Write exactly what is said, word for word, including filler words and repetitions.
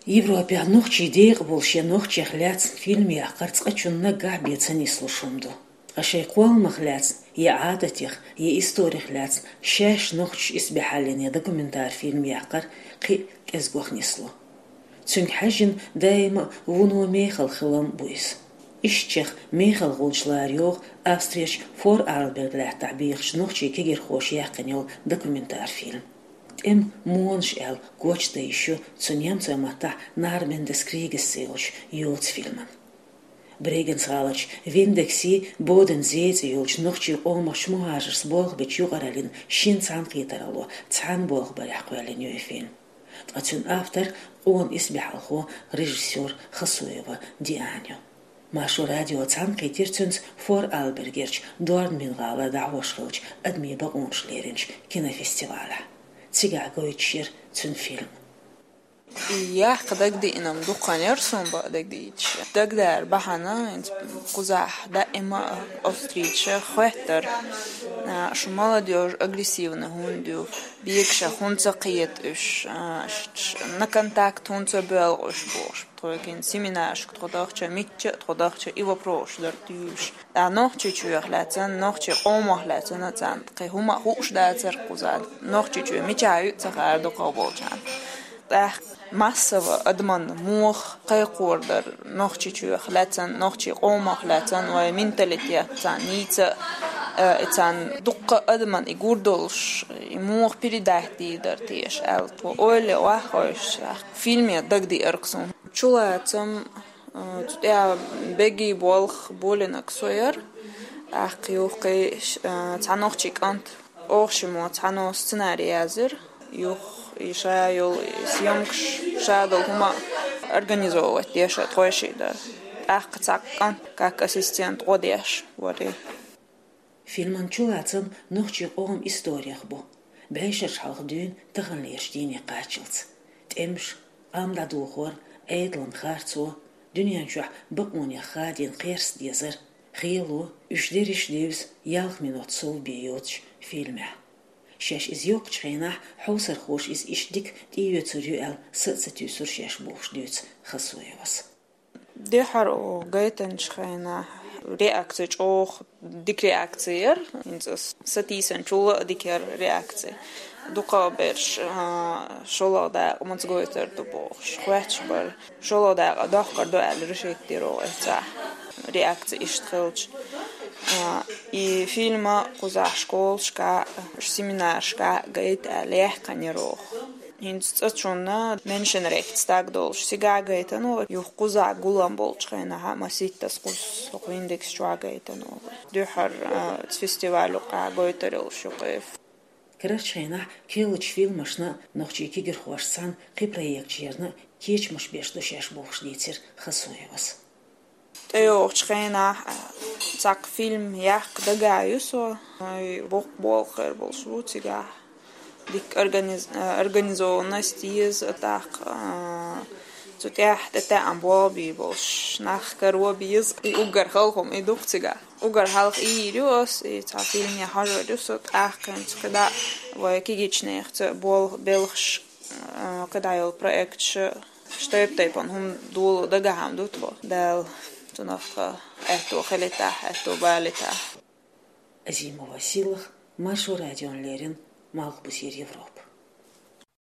Европехь нохчий декъа болуш я нохчех лаьцна фильм яккхар цкъачунна наггахь бен ца нислуш хӀума ду. Ткъа шайн кхолламах лаьцна, я Ӏадатех, я историх лаьцна шаьш нохчаш исбаьхьаллин я документар фильм яккхар кхин а кӀезигох нисло. Цуьнга хьаьжжина даима а вуно мехала хилам бу иза. Ишттачех мехала гӀулч лара йогӀу Австрерчу Форарльберг лаьттахь бехачу нохчий кегирхоша яьккхина йолу документар фильм. «ТӀеман монаш» аьлла коча дан йиш ю цу немцойн маттахь Нарбен дес Кригес цӀе йолчу йоцу фильман. Брегенс гӀаларчу Виндекси Бодензей цӀе йолчу нохчий къомах мухӀажарш болх бечу юкъараллин шина цхьаьнакхетаралло цхьаьна болх барехь кхоьллина ю и фильм. Ткъа цуьнан автор къона исбаьхьалхо, режиссёр Хасуева Диана ю. Маршо радио цхьаьнакхийтира цуьнца Форарльбергерчу Дорнбирн-гӀалара дӀахьош хиллачу адамийн бакъонаш леринчу кинофестивалехь. Цигахь гойтуш яра цуьнан фильм. И яккха дагадеана-м дукха хан яра суна бан дагадейташ. Дагадер бахьана, хӀинца кхузахь даима а Австрича хоьттура, а, шу молодёжь агрессивна хӀунда ю, бегашах хӀунда ца кхета уьш, а, ш-, ш-, на контакт хӀунда ца боьлху уьш бохуш. Тхоьгахь семинарашка тхо дахча, мичча а тхо дахча, и вопросаш дара туьйлуш. ТӀаккха Нохчийчоьх лаьцна, нохчийн къомах лаьцна царна кхин хӀума а хууш дацара кхузахь. Нохчийчоь мичахь ю а ца хаьара дукхахболчарна. ТӀаккха массово адамна муха кхайкхор дара Нохчийчоьх лаьцна, нохчийн къомах лаьцна, вайн менталитет царна нийса а, э, и царна дуккха адамна и гур долуш, и муха передать дийр дара теша аьлла, тхо ойла ваххойш, фильме дагадеара-кх суна. Чулацам, а, цу тӀехь бегий болх болийнарг со яра. ТӀаккха юха кхин, а, цхьа нохчи кӀант, оха шиммо цхьанна сценарий яздира. Юха и ша йолу, и съёмкаш, ша долу хӀума организовывать деш а тхойшиъ дара. ТӀаккха цхьа кӀант, как ассистент, гӀо деш вара. Фильман чулацам нохчийн къоман историх бу, бӀешераш хьалха дуьйна таханлерчу дийне кхаччалц. ТӀемаш, къам дӀадохор, Ӏедалан харцо, дуьнен чохь бакъонех хадийна кхерста дезар, хело, уьш дерриш а девза ялх минот сов бен йоцуш фильмехь. Шаьш иза йоккхучу хенахь хьовсархоша иза иштта дика тӀеоьцур ю аьлла, са а ца туьйсура шаьш бохуш дуьйцу Хасуевас. Дуьххьара гайтинчу хенахь реакция чӀогӀа дика реакция яра. ХӀинца ас сатийсанчул а дика яра реакция. Дукхахберш, а, шолгӀа дакъа маца гойтур ду бохуш, хоьттуш бара. ШолгӀа дакъа доккхур ду аьлла решить дира оха эццахь. Реакция иштта хилча. А, и фильма кхузахь школашка, семинарашка гайта аьлла яьккхинера оха. ХӀинца цӀа чунна меншенрехт стаг долуш цигахь гайтина вара, юха кхузахь гулам болчу хенахь а маситтаза кхуза хӀокху Виндекс чохь гайтина вара. Дуьххьара, а, цу фестиваль юккъехь гойтур йолуш ю-кх и. Карарчу хенахь керлачу фильмашна а, нохчийн кегирхошца цхьаьна кхин проекташ ярна а кечамаш беш ду шаьш бохуш дийцира Хасуевас. ТӀейогӀучу хенахь, а, цхьа фильм яккха дагахь ю со, и боккха болх хир болуш бу цигахь. Дика организ-, а, организованность еза, тӀаккха, а, цу тӀехь тӀетаьӀна болх бийр болуш, нах каро беза, и уггар хала хӀума и ду-кх цигахь. Уггар хьалха ийр ю ас, и цхьа фильме хьажор ю со, тӀаккха хӀинца кхидӀа вай кегийчу нахаца болх, белхаш, а, кхидӀа йолу проекташ, тайп-тайпана хӀума доло дагахь ма ду тхо. Дала цунах тхан аьтто хилийтахь, аьтто балийтахь. Азимова Сийлаха, Маршо радиона леррина, Малхбузера Европа.